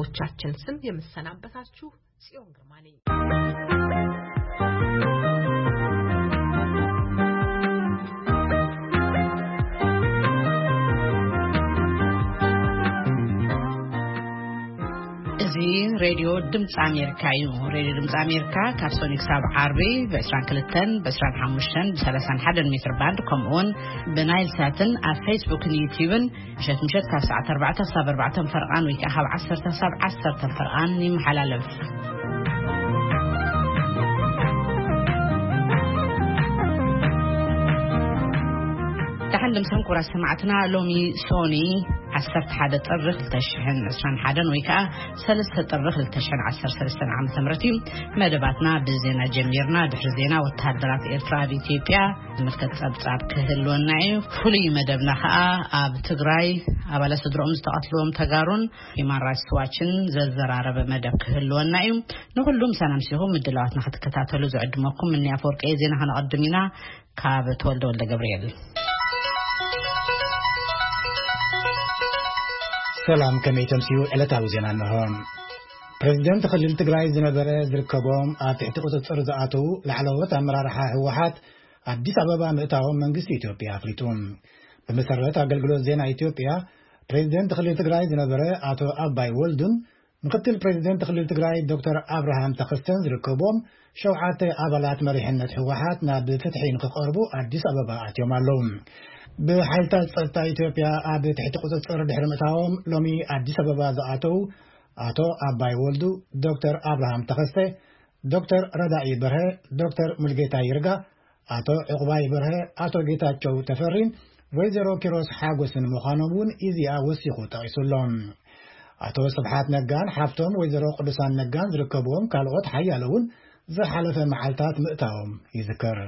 ኦቻችን ስም የምሰናበታችሁ ጽዮን ግርማ ነኝ። እዚ ሬድዮ ድምፂ ኣሜሪካ እዩ። ሬድዮ ድምፂ ኣሜሪካ ካብ ሶኒ ክሳብ ዓርቢ ብ22፣ ብ25፣ ብ31 ሜትር ባንድ፣ ከምኡውን ብናይል ሳትን ኣብ ፌስቡክን ዩቲዩብን ምሸት ምሸት ካብ ሰዓት ኣርባዕተ ክሳብ ኣርባዕተ ፈርቓን ወይ ከዓ ካብ ዓሰርተ ክሳብ ዓሰርተ ፈርቓን ይመሓላለፍ። ደሓን ድምሰን ክቡራት ሰማዕትና፣ ሎሚ ሶኒ ዓሰርተ ሓደ ጥሪ ክልተ ሽሕን ዕስራን ሓደን ወይ ከዓ ሰለስተ ጥሪ ክልተ ሽሕን ዓሰርተ ሰለስተን ዓመተ ምህረት እዩ። መደባትና ብዜና ጀሚርና። ድሕሪ ዜና፣ ወተሃደራት ኤርትራ ኣብ ኢትዮጵያ ዝምልከት ጸብጻብ ክህልወና እዩ። ፍሉይ መደብና ከዓ ኣብ ትግራይ ኣባላት ስድሮኦም ዝተቐትልዎም ተጋሩን ሂማን ራይትስ ዋችን ዘዘራረበ መደብ ክህልወና እዩ። ንኹሉ ምሳና ምሲኹም ምድላዋትና ክትከታተሉ ዝዕድመኩም እኒ ኣፈወርቂ። ዜና ከነቐድም ኢና። ካብ ተወልደ ወልደ ገብርኤል። ሰላም፣ ከመይ ተምስዩ? ዕለታዊ ዜና እንሆ። ፕሬዚደንት ክልል ትግራይ ዝነበረ ዝርከቦም ኣብ ትሕቲ ቁፅፅር ዝኣተዉ ላዕለዎት ኣመራርሓ ህወሓት ኣዲስ ኣበባ ምእታዎም መንግስቲ ኢትዮጵያ ኣፍሊጡ። ብመሰረት ኣገልግሎት ዜና ኢትዮጵያ፣ ፕሬዚደንት ክልል ትግራይ ዝነበረ ኣቶ ኣባይ ወልዱን ምክትል ፕሬዚደንት ክልል ትግራይ ዶክተር ኣብርሃም ተኸስተን ዝርከብዎም ሸውዓተ ኣባላት መሪሕነት ህወሓት ናብ ፍትሒ ንክቐርቡ ኣዲስ ኣበባ ኣትዮም ኣለዉ። ብሓይልታት ጸጥታ ኢትዮጵያ ኣብ ትሕቲ ቁጽጽር ድሕሪ ምእታዎም ሎሚ ኣዲስ ኣበባ ዝኣተዉ ኣቶ ኣባይ ወልዱ፣ ዶክተር ኣብርሃም ተኸስተ፣ ዶክተር ረዳኢ በርሀ፣ ዶክተር ሙልጌታ ይርጋ፣ ኣቶ ዕቑባይ በርሀ፣ ኣቶ ጌታቸው ተፈሪን ወይዘሮ ኪሮስ ሓጎስን ምዃኖም እውን ኢዜኣ ወሲኹ ጠቒሱ ኣሎ። ኣቶ ስብሓት ነጋን ሓፍቶም ወይዘሮ ቅዱሳን ነጋን ዝርከብዎም ካልኦት ሓያሎ እውን ዝሓለፈ መዓልታት ምእታዎም ይዝከር።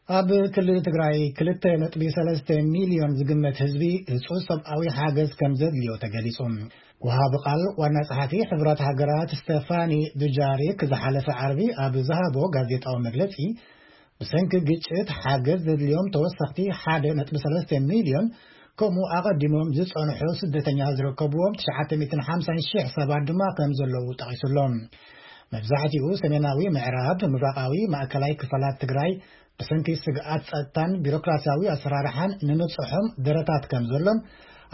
ኣብ ክልል ትግራይ ክልተ ነጥቢ ሰለስተ ሚልዮን ዝግመት ህዝቢ ህጹጽ ሰብኣዊ ሓገዝ ከም ዘድልዮ ተገሊጹ። ወሃቢ ቃል ዋና ጸሓፊ ሕቡራት ሃገራት ስቴፋኒ ዱጃሪክ ዝሓለፈ ዓርቢ ኣብ ዝሃቦ ጋዜጣዊ መግለጺ፣ ብሰንኪ ግጭት ሓገዝ ዘድልዮም ተወሰኽቲ ሓደ ነጥቢ ሰለስተ ሚልዮን፣ ከምኡ ኣቐዲሞም ዝጸንሑ ስደተኛ ዝርከብዎም ትሽዓተ ሚእትን ሓምሳን ሽሕ ሰባት ድማ ከም ዘለዉ ጠቒሱ ኣሎ። መብዛሕትኡ ሰሜናዊ ምዕራብ፣ ምብራቓዊ፣ ማእከላይ ክፋላት ትግራይ ብሰንኪ ስግኣት ጸጥታን ቢሮክራሲያዊ ኣሰራርሓን ንምብጽሖም ደረታት ከም ዘሎን፣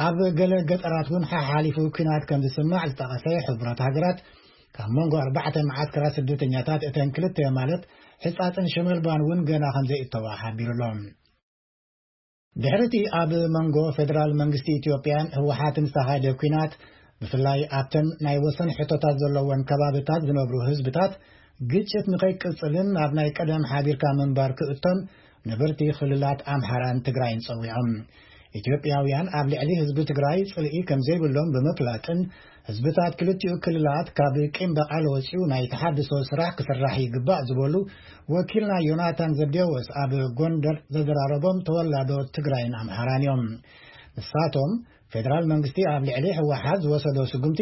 ኣብ ገለ ገጠራት እውን ሓሓሊፉ ኲናት ከም ዝስማዕ ዝጠቐሰ ሕቡራት ሃገራት፣ ካብ መንጎ ኣርባዕተ መዓስከራት ስደተኛታት እተን ክልተ ማለት ሕጻጽን ሽመልባን እውን ገና ከም ዘይእተዋ ሓቢሩ ኣሎ። ድሕሪ እቲ ኣብ መንጎ ፌደራል መንግስቲ ኢትዮጵያን ህወሓትን ዝተኻየደ ኲናት፣ ብፍላይ ኣብተን ናይ ወሰን ሕቶታት ዘለወን ከባብታት ዝነብሩ ህዝብታት፣ ግጭት ንኸይቅጽልን ናብ ናይ ቀደም ሓቢርካ ምንባር ክእቶን ነበርቲ ክልላት ኣምሓራን ትግራይን ጸዊዖም። ኢትዮጵያውያን ኣብ ልዕሊ ህዝቢ ትግራይ ጽልኢ ከም ዘይብሎም ብምፍላጥን፣ ህዝብታት ክልቲኡ ክልላት ካብ ቂም በቐል ወጺኡ ናይ ተሓድሶ ስራሕ ክስራሕ ይግባእ ዝበሉ ወኪልና ዮናታን ዘብዴዎስ ኣብ ጎንደር ዘዘራረቦም ተወላዶ ትግራይን ኣምሓራን እዮም። ንሳቶም፣ ፌደራል መንግስቲ ኣብ ልዕሊ ህወሓት ዝወሰዶ ስጉምቲ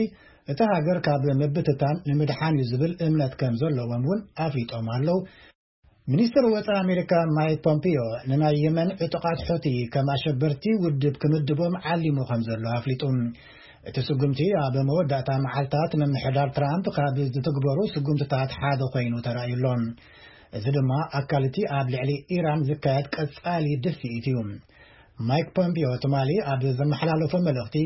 እቲ ሃገር ካብ ምብትታን ንምድሓን እዩ ዝብል እምነት ከም ዘለዎም እውን ኣፍሊጦም ኣለዉ። ሚኒስትር ወፃኢ ኣሜሪካ ማይክ ፖምፒዮ ንናይ የመን ዕጡቓት ሑቲ ከም ኣሸበርቲ ውድብ ክምድቦም ዓሊሙ ከም ዘሎ ኣፍሊጡ። እቲ ስጉምቲ ኣብ መወዳእታ መዓልታት ምምሕዳር ትራምፕ ካብ ዝትግበሩ ስጉምትታት ሓደ ኮይኑ ተራእዩ ኣሎ። እዚ ድማ ኣካል እቲ ኣብ ልዕሊ ኢራን ዝካየድ ቀጻሊ ድፍኢት እዩ። ማይክ ፖምፒዮ ትማሊ ኣብ ዘመሓላለፎ መልእኽቲ፣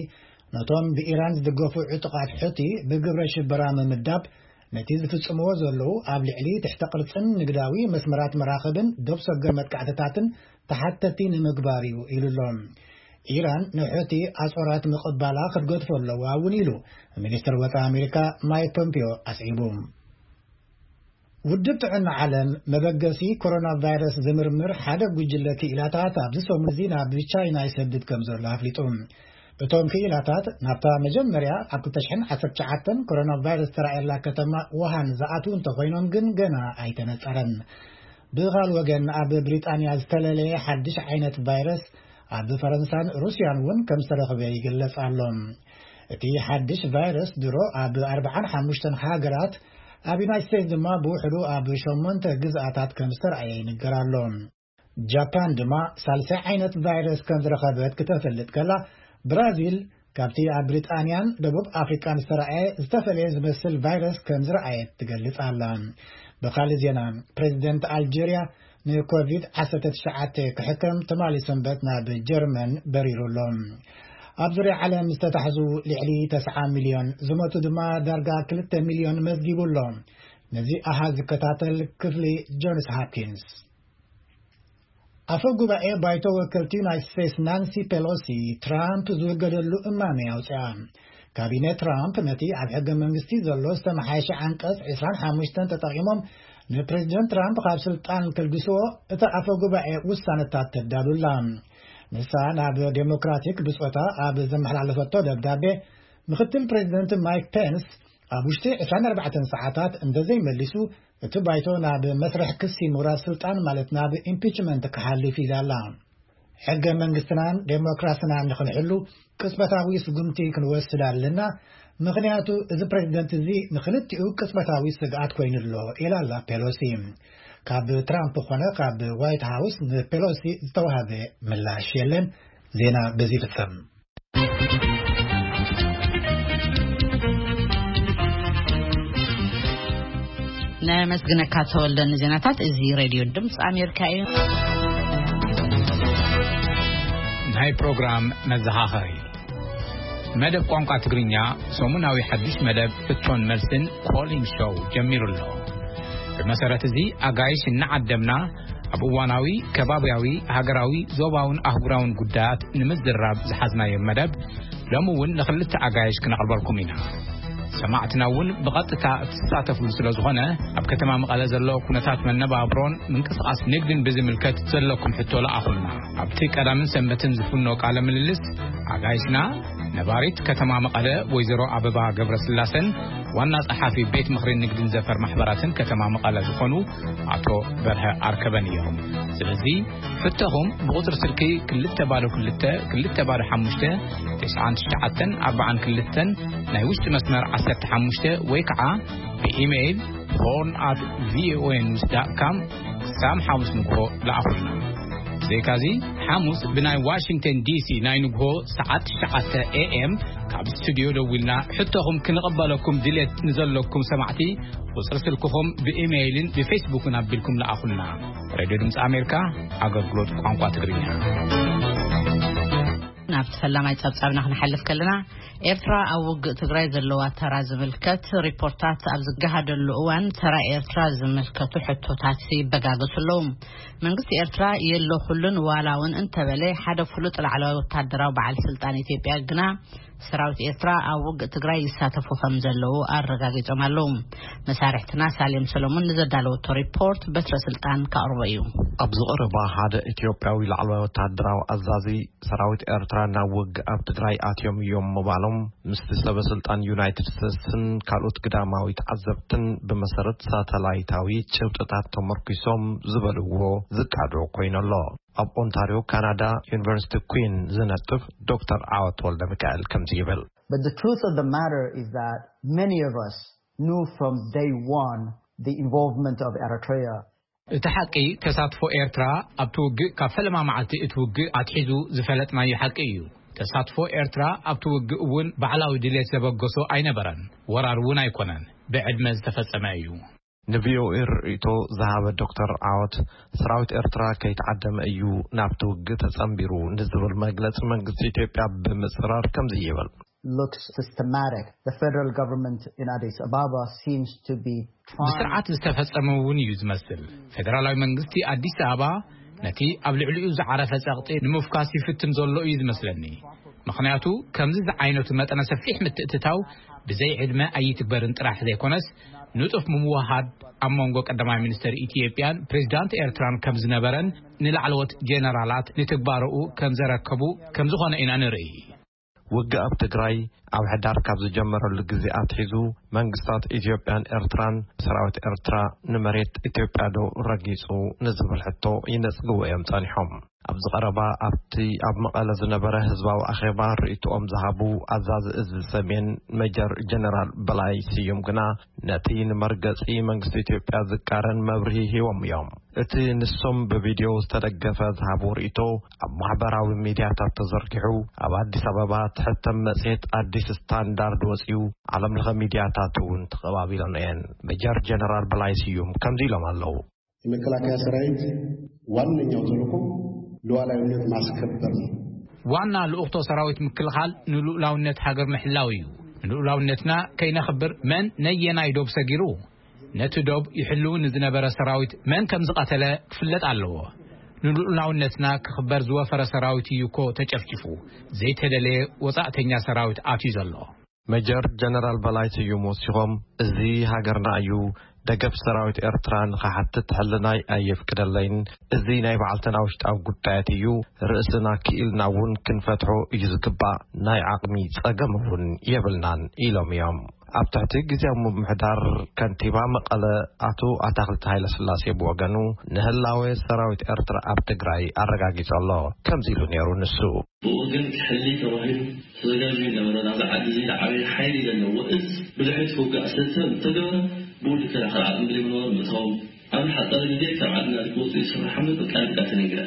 ነቶም ብኢራን ዝድገፉ ዕጡቓት ሑቲ ብግብረ ሽበራ ምምዳብ፣ ነቲ ዝፍጽምዎ ዘለዉ ኣብ ልዕሊ ትሕተ ቅርጽን ንግዳዊ መስመራት መራኽብን ዶብ ሰገር መጥቃዕትታትን ተሓተቲ ንምግባር እዩ ኢሉ ኣሎ። ኢራን ንሑቲ ኣጾራት ምቕባላ ክትገድፎ ኣለዋ እውን ኢሉ ሚኒስትር ወፃኢ ኣሜሪካ ማይክ ፖምፒዮ ኣስዒቡ። ውድብ ጥዕና ዓለም መበገሲ ኮሮና ቫይረስ ዝምርምር ሓደ ጉጅለ ክኢላታት ኣብዚ ሰሙን እዚ ናብ ቻይና ይሰድድ ከም ዘሎ ኣፍሊጡ። እቶም ክኢላታት ናብታ መጀመርያ ኣብ ክልተ ሽሕን ዓሰርተ ትሽዓተን ኮሮና ቫይረስ ተራእየላ ከተማ ውሃን ዝኣትዉ እንተኾይኖም ግን ገና ኣይተነጸረን። ብኻል ወገን ኣብ ብሪጣንያ ዝተለለየ ሓድሽ ዓይነት ቫይረስ ኣብ ፈረንሳን ሩስያን እውን ከም ዝተረኽበ ይግለጽ ኣሎ። እቲ ሓድሽ ቫይረስ ድሮ ኣብ ኣርባዓን ሓሙሽተን ሃገራት፣ ኣብ ዩናይት ስቴትስ ድማ ብውሕዱ ኣብ ሸሞንተ ግዝኣታት ከም ዝተረኣየ ይንገር ኣሎ። ጃፓን ድማ ሳልሳይ ዓይነት ቫይረስ ከም ዝረኸበት ክተፈልጥ ከላ፣ ብራዚል ካብቲ ኣብ ብሪጣንያን ደቡብ ኣፍሪቃን ዝተረኣየ ዝተፈለየ ዝመስል ቫይረስ ከም ዝረኣየት ትገልጽ ኣላ። ብኻልእ ዜና፣ ፕሬዚደንት ኣልጀርያ ንኮቪድ ዓሰርተ ትሽዓተ ክሕከም ትማሊ ሰንበት ናብ ጀርመን በሪሩ ኣሎ። ኣብ ዙርያ ዓለም ዝተታሕዙ ልዕሊ ተስዓ ሚልዮን፣ ዝሞቱ ድማ ዳርጋ ክልተ ሚልዮን መዝጊቡ ኣሎ። ነዚ ኣሃዝ ዝከታተል ክፍሊ ጆንስ ሃፕኪንስ። ኣፈ ጉባኤ ባይቶ ወከልቲ ዩናይትድ ስቴትስ ናንሲ ፔሎሲ፣ ትራምፕ ዝውገደሉ እማመ ኣውፅኣ። ካቢነ ትራምፕ ነቲ ኣብ ሕገ መንግስቲ ዘሎ ዝተመሓየሸ ዓንቀፅ ዕስራን ሓሙሽተን ተጠቒሞም ንፕሬዚደንት ትራምፕ ካብ ስልጣን ከልግስዎ እቲ ኣፈ ጉባኤ ውሳነታት ተዳሉላ። ንሳ ናብ ዴሞክራቲክ ብጾታ ኣብ ዘመሓላለፈቶ ደብዳቤ፣ ምክትል ፕሬዚደንት ማይክ ፔንስ ኣብ ውሽጢ ዕስራን ኣርባዕተን ሰዓታት እንተዘይመሊሱ፣ እቲ ባይቶ ናብ መስርሕ ክሲ ምውራድ ስልጣን፣ ማለት ናብ ኢምፒችመንት ክሓልፍ ኢላ ኣላ። ሕገ መንግስትናን ዴሞክራስናን ንኽንሕሉ ቅጽበታዊ ስጉምቲ ክንወስድ ኣለና፣ ምኽንያቱ እዚ ፕሬዚደንት እዚ ንኽልቲኡ ቅጽበታዊ ስግኣት ኮይኑ ኣሎ፣ ኢላ ኣላ ፔሎሲ። ካብ ትራምፕ ኮነ ካብ ዋይት ሃውስ ንፔሎሲ ዝተዋህበ ምላሽ የለን። ዜና በዚ ይፍጸም። ነመስግነካ ተወልደ ንዜናታት። እዚ ሬድዮ ድምፂ ኣሜሪካ እዩ። ናይ ፕሮግራም መዘኻኸሪ። መደብ ቋንቋ ትግርኛ፣ ሰሙናዊ ሓድሽ መደብ ሕቶን መልስን ኮሊንግ ሾው ጀሚሩ ኣሎ። ብመሰረት እዚ፣ ኣጋይሽ እናዓደምና ኣብ እዋናዊ፣ ከባብያዊ፣ ሃገራዊ፣ ዞባውን ኣህጉራውን ጉዳያት ንምዝራብ ዝሓዝናዮ መደብ፣ ሎሚ እውን ንኽልተ ኣጋይሽ ክነቕርበልኩም ኢና። ሰማዕትና እውን ብቐጥታ እትሳተፉሉ ስለ ዝኾነ፣ ኣብ ከተማ መቐለ ዘሎ ኩነታት መነባብሮን ምንቅስቓስ ንግድን ብዝምልከት ዘለኩም ሕቶ ለኣኹልና። ኣብቲ ቀዳምን ሰንበትን ዝፍኖ ቃለ ምልልስ፣ ኣጋይሽና ነባሪት ከተማ መቐለ ወይዘሮ ኣበባ ገብረስላሰን ዋና ጸሓፊ ቤት ምኽሪ ንግድን ዘፈር ማሕበራትን ከተማ መቐለ ዝኾኑ ኣቶ በርሀ ኣርከበን እዮም። ስለዚ፣ ሕቶኹም ብቁጽሪ ስልኪ ክልተ ባዶ ክልተ፣ ክልተ ባዶ ሓሙሽተ፣ ተስዓን ትሽዓተን ኣርባዓን ክልተን፣ ናይ ውሽጢ መስመር ዓሰርተ ሓሙሽተ፣ ወይ ከዓ ብኢሜይል ሆርን ኣት ቪኦኤ ኒውስ ዳት ካም ክሳብ ሓሙስ ንግሆ ለኣኹልና። ብዘይካዚ፣ ሓሙስ ብናይ ዋሽንግተን ዲሲ ናይ ንግሆ ሰዓት ትሽዓተ ኤ ኤም ካብ ስቱዲዮ ደዊልና ሕቶኹም ክንቕበለኩም ድሌት ንዘለኩም ሰማዕቲ፣ ቁጽሪ ስልክኹም ብኢሜይልን ብፌስቡክን ኣቢልኩም ለኣኹልና። ሬድዮ ድምፂ ኣሜሪካ፣ ኣገልግሎት ቋንቋ ትግርኛ። ናብቲ ፈላማይ ጸብጻብና ክንሓልፍ ከለና፣ ኤርትራ ኣብ ውግእ ትግራይ ዘለዋ ተራ ዝምልከት ሪፖርታት ኣብ ዝገሃደሉ እዋን፣ ተራ ኤርትራ ዝምልከቱ ሕቶታት ይበጋገሱ ኣለዉ። መንግስቲ ኤርትራ የለኹሉን ዋላ እውን እንተበለ፣ ሓደ ፍሉጥ ላዕለዋይ ወታደራዊ በዓል ስልጣን ኢትዮጵያ ግና፣ ሰራዊት ኤርትራ ኣብ ውግእ ትግራይ ይሳተፉ ከም ዘለዉ ኣረጋጊጾም ኣለዉ። መሳርሕትና ሳሌም ሰሎሞን ንዘዳለወቶ ሪፖርት በትረ ስልጣን ከቕርቦ እዩ። ኣብዚ ቀረባ ሓደ ኢትዮጵያዊ ላዕለዋይ ወታደራዊ ኣዛዚ፣ ሰራዊት ኤርትራ ናብ ውግእ ኣብ ትግራይ ኣትዮም እዮም ምባሎም፣ ምስቲ ሰበ ስልጣን ዩናይትድ ስቴትስን ካልኦት ግዳማዊ ተዓዘብትን ብመሰረት ሳተላይታዊ ጭብጥታት ተመርኪሶም ዝበልዎ ዝቃዶ ኮይኑ ኣሎ። ኣብ ኦንታርዮ ካናዳ ዩኒቨርሲቲ ኩዊን ዝነጥፍ ዶክተር ዓወት ወልደ ሚካኤል ከምዚ ይብል። But the truth of the matter is that many of us knew from day one the involvement of Eritrea. እቲ ሓቂ፣ ተሳትፎ ኤርትራ ኣብቲ ውግእ፣ ካብ ፈለማ መዓልቲ እቲ ውግእ ኣትሒዙ ዝፈለጥናዮ ሓቂ እዩ። ተሳትፎ ኤርትራ ኣብቲ ውግእ እውን ባዕላዊ ድሌት ዘበገሶ ኣይነበረን። ወራር እውን ኣይኮነን። ብዕድመ ዝተፈጸመ እዩ። ንቪኦኤ ርእይቶ ዝሃበ ዶክተር ዓወት፣ ሰራዊት ኤርትራ ከይተዓደመ እዩ ናብቲ ውግእ ተጸንቢሩ ንዝብል መግለጺ መንግስቲ ኢትዮጵያ ብምጽራር ከምዚ ይብል። Looks systematic. The federal government in Addis Ababa seems to be trying ብስርዓት ዝተፈጸመ እውን እዩ ዝመስል። ፌደራላዊ መንግስቲ ኣዲስ ኣበባ ነቲ ኣብ ልዕሊኡ ዝዓረፈ ጸቕጢ ንምፍካስ ይፍትን ዘሎ እዩ ዝመስለኒ። ምኽንያቱ፣ ከምዚ ዝዓይነቱ መጠነ ሰፊሕ ምትእትታው ብዘይ ዕድመ ኣይትግበርን ጥራሕ ዘይኮነስ፣ ንጡፍ ምውሃድ ኣብ መንጎ ቀዳማይ ሚኒስተር ኢትዮጵያን ፕሬዚዳንት ኤርትራን ከም ዝነበረን፣ ንላዕለዎት ጄነራላት ንትግባረኡ ከም ዘረከቡ ከም ዝኾነ ኢና ንርኢ። ውግእ ኣብ ትግራይ ኣብ ሕዳር ካብ ዝጀመረሉ ግዜ ኣትሒዙ፣ መንግስታት ኢትዮጵያን ኤርትራን፣ ሰራዊት ኤርትራ ንመሬት ኢትዮጵያ ዶ ረጊጹ ንዝብል ሕቶ ይነጽግዎ እዮም ጸኒሖም። ኣብዚ ቀረባ ኣብቲ ኣብ መቐለ ዝነበረ ህዝባዊ ኣኼባ ርእይቶኦም ዝሃቡ ኣዛዚ እዚ ሰሜን ሜጀር ጀነራል በላይ ስዩም ግና፣ ነቲ ንመርገጺ መንግስቲ ኢትዮጵያ ዝቃረን መብርሂ ሂቦም እዮም። እቲ ንሶም ብቪድዮ ዝተደገፈ ዝሃብዎ ርእይቶ ኣብ ማሕበራዊ ሚድያታት ተዘርጊሑ፣ ኣብ ኣዲስ ኣበባ ትሕተም መጽሔት ኣዲስ ስታንዳርድ ወጺኡ፣ ዓለም ለኸ ሚድያታት እውን ተቐባቢሎን እየን። ሜጀር ጀነራል በላይ ስዩም ከምዚ ኢሎም ኣለዉ። የመከላከያ ሰራዊት ዋነኛው ተልእኮ ሉዓላዊነት ማስከበር ነው። ዋና ልኡኽቶ ሰራዊት ምክልኻል ንልኡላውነት ሃገር ምሕላው እዩ። ንልኡላውነትና ከይነኽብር መን ነየናይ ዶብ ሰጊሩ? ነቲ ዶብ ይሕልው ንዝነበረ ሰራዊት መን ከም ዝቐተለ ክፍለጥ ኣለዎ። ንልኡላውነትና ክኽበር ዝወፈረ ሰራዊት እዩ እኮ ተጨፍጭፉ። ዘይተደለየ ወጻእተኛ ሰራዊት ኣትዩ ዘሎ። ሜጀር ጀነራል በላይ ስዩም ወሲኾም፣ እዚ ሃገርና እዩ፣ ደገፍ ሰራዊት ኤርትራ ንኽሓትት ሕልናይ ኣየፍቅደለይን፣ እዚ ናይ በዓልትና ውሽጣዊ ጉዳያት እዩ፣ ርእስና ክኢልና እውን ክንፈትሖ እዩ ዝግባእ፣ ናይ ዓቕሚ ጸገም እውን የብልናን ኢሎም እዮም። ኣብ ትሕቲ ግዜያዊ ምምሕዳር ከንቲባ መቐለ ኣቶ ኣታኽልቲ ሃይለስላሴ ብወገኑ፣ ንህላወ ሰራዊት ኤርትራ ኣብ ትግራይ ኣረጋጊጹ ኣሎ። ከምዚ ኢሉ ነይሩ ንሱ። ብኡ ግን ክሕሊ ተባሂሉ ተዘጋጅዩ ነበረ። ናብዛ ዓዲ እዚ ዝዓበየ ሓይሊ ዘለዎ እዝ ብድሕሪት ክውጋእ ስለ ዝተገብረ፣ ብኡ ዝከላኸል ዓቕሚ ብዘይምንባሩ ምእታዎም ኣብ ዝሓጸረ ግዜ ካብ ዓድና ክወጹ ይስራሕ ኣሎ። በቃ በቃ ተነግረ።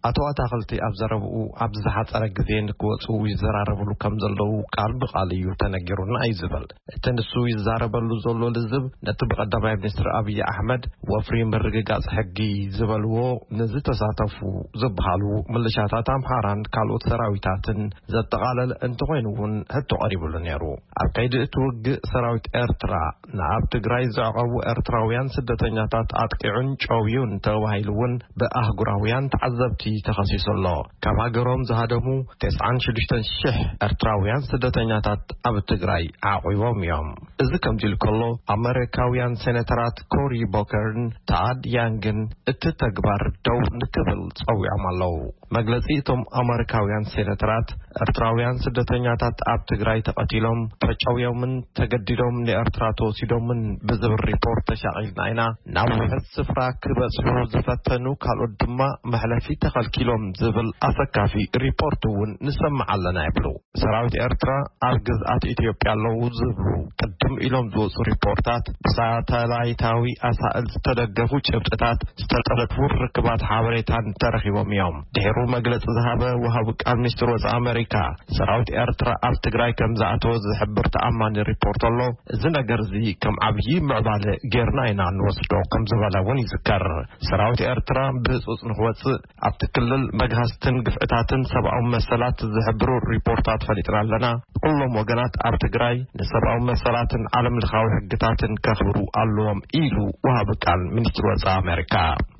ኣቶ ኣታኽልቲ ኣብ ዘረብኡ፣ ኣብ ዝሓጸረ ግዜ ንክወጹ ይዘራረብሉ ከም ዘለዉ ቃል ብቃል እዩ ተነጊሩና እዩ ዝብል። እቲ ንሱ ይዛረበሉ ዘሎ ልዝብ፣ ነቲ ብቀዳማይ ሚኒስትር ኣብይ ኣሕመድ ወፍሪ ምርግጋጽ ሕጊ ዝበልዎ፣ ንዝተሳተፉ ዝበሃሉ ምልሻታት ኣምሓራን ካልኦት ሰራዊታትን ዘጠቓለለ እንተኾይኑ እውን ሕቶ ቀሪብሉ ነይሩ። ኣብ ከይዲ እቲ ውግእ ሰራዊት ኤርትራ ንኣብ ትግራይ ዘዕቐቡ ኤርትራውያን ስደተኛታት ኣጥቂዑን ጨውዩን ተባሂሉ እውን ብኣህጉራውያን ተዓዘብቲ ተኸሲሱ ኣሎ። ካብ ሃገሮም ዝሃደሙ ተስዓን ሽዱሽተን ሽሕ ኤርትራውያን ስደተኛታት ኣብ ትግራይ ዓቑቦም እዮም። እዚ ከምዚ ኢሉ ከሎ፣ ኣመሪካውያን ሴኔተራት ኮሪ ቦከርን ታድ ያንግን እቲ ተግባር ደው ንክብል ጸዊዖም ኣለዉ። መግለጺ እቶም ኣመሪካውያን ሴኔተራት፣ ኤርትራውያን ስደተኛታት ኣብ ትግራይ ተቐቲሎም፣ ተጨውዮምን ተገዲዶም ንኤርትራ ተወሲዶምን ብዝብል ሪፖርት ተሻቒልና ኢና። ናብ ውሑድ ስፍራ ክበጽሑ ዝፈተኑ ካልኦት ድማ መሕለፊ ተኸልኪሎም ዝብል ኣሰካፊ ሪፖርት እውን ንሰምዕ ኣለና ይብሉ። ሰራዊት ኤርትራ ኣብ ግዝኣት ኢትዮጵያ ኣለዉ ዝብሉ ቅድም ኢሎም ዝወጹ ሪፖርታት፣ ብሳተላይታዊ ኣሳእል ዝተደገፉ ጭብጥታት፣ ዝተጠለፉ ርክባት ሓበሬታን ተረኺቦም እዮም። ድሒሩ መግለጺ ዝሃበ ወሃቢ ቃል ሚኒስትር ወጻኢ ኣመሪካ፣ ሰራዊት ኤርትራ ኣብ ትግራይ ከም ዝኣተወ ዝሕብር ተኣማኒ ሪፖርት ኣሎ። እዚ ነገር እዚ ከም ዓብዪ ምዕባለ ጌርና ኢና ንወስዶ ከም ዝበለ እውን ይዝከር። ሰራዊት ኤርትራ ብህጹጽ ንክወጽእ ኣብቲ ክልል መግሃስትን ግፍዕታትን ሰብኣዊ መሰላት ዝሕብሩ ሪፖርታት ፈሊጥና ኣለና። ኩሎም ወገናት ኣብ ትግራይ ንሰብኣዊ መሰላትን ዓለም ለኻዊ ሕግታትን ከኽብሩ ኣለዎም ኢሉ ወሃቢ ቃል ሚኒስትሪ ወጻኢ ኣሜሪካ።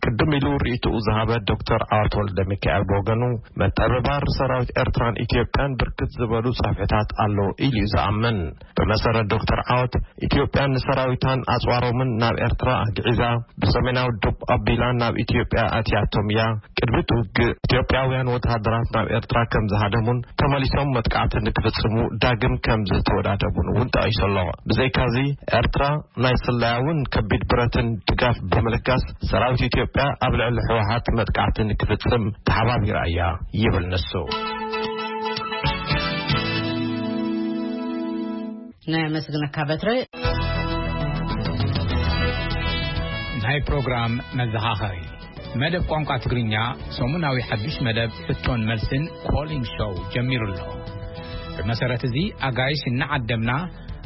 ቅድም ኢሉ ርእይትኡ ዝሃበ ዶክተር ዓወት ወልደ ሚካኤል ብወገኑ፣ መጠብባር ሰራዊት ኤርትራን ኢትዮጵያን ብርክት ዝበሉ ጸፍሕታት ኣሎ ኢሉ እዩ ዝኣምን። ብመሰረት ዶክተር ዓወት፣ ኢትዮጵያ ንሰራዊታን ኣጽዋሮምን ናብ ኤርትራ ኣግዒዛ፣ ብሰሜናዊ ዶብ ኣቢላ ናብ ኢትዮጵያ ኣትያቶም እያ። ቅድሚ እቲ ውግእ፣ ኢትዮጵያውያን ወተሃደራት ናብ ኤርትራ ከም ዝሃደሙን ተመሊሶም መጥቃዕቲ ንክፍጽሙ ዳግም ከም ዝተወዳደቡን እውን ጠቒሱ ኣሎ። ብዘይካዚ፣ ኤርትራ ናይ ስለያውን ከቢድ ብረትን ድጋፍ ብምልጋስ፣ ሰራዊት ኢትዮጵያ ኣብ ልዕሊ ህወሓት መጥቃዕቲ ንክፍጽም ተሓባቢራ እያ ይብል ንሱ። ናይ ኣመስግነካ በትረ። ናይ ፕሮግራም መዘኻኸሪ፣ መደብ ቋንቋ ትግርኛ፣ ሰሙናዊ ሓድሽ መደብ ሕቶን መልስን ኮሊንግ ሾው ጀሚሩ ኣሎ። ብመሰረት እዚ፣ ኣጋይሽ እናዓደምና